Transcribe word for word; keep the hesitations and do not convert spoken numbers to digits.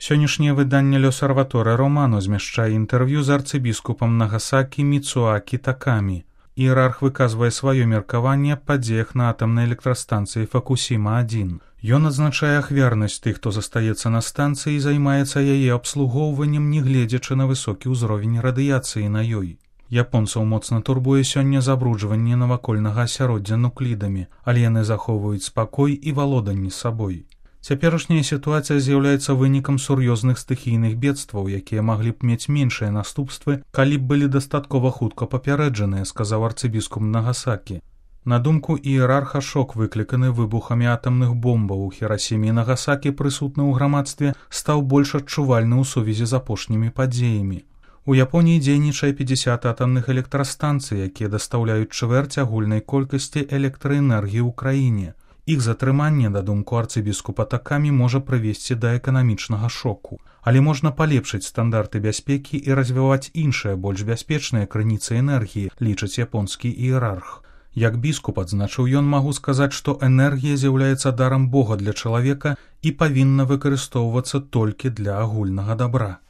Сённяшняе выданне «Лёсарваторе Романо» змяшчае інтэрв'ю з арцыбіскупам Нагасакі Міцуакі Такамі. Іерарх выказвае сваё меркаванне аб падзеях на атамнай электрастанцыі Фукусіма адзін. Ён адзначае ахвярнасць тых, хто застаецца на станцыі і займаецца яе абслугоўваннем, не гледзячы на высокі ўзровень радыяцыі на ёй. Японцаў моцна турбуе сёння забруджванне навакольнага асяроддзя нуклідамі, але яны захоўваюць спакой і валоданне сабой. Цяперашняя сітуацыя з'яўляецца вынікам сур'ёзных стыхійных бедстваў, якія маглі б мець меншыя наступствы, калі б былі дастаткова хутка папярэджаныя, сказаў арцыбіскуп Нагасакі. На думку іерарха, шок, выкліканы выбухамі атамных бомбаў у Хірасіме і Нагасакі, прысутны ў грамадстве, стаў больш адчувальны ў сувязі з апошнімі падзеямі. У Японіі дзейнічае пятьдесят атамных электрастанцый, якія дастаўляюць чвэрць агульнай колькасці электраэнергіі ў краіне. Іх затрыманне, на думку арцыбіскупа Такамі, можа прывесці да эканамічнага шоку. Але можна палепшыць стандарты бяспекі і развіваць іншыя, больш бяспечныя крыніцы энергіі, лічыць японскі іерарх. Як біскуп, адзначыў ён, магу сказаць, што энергія з'яўляецца дарам Бога для чалавека і павінна выкарыстоўвацца толькі для агульнага дабра.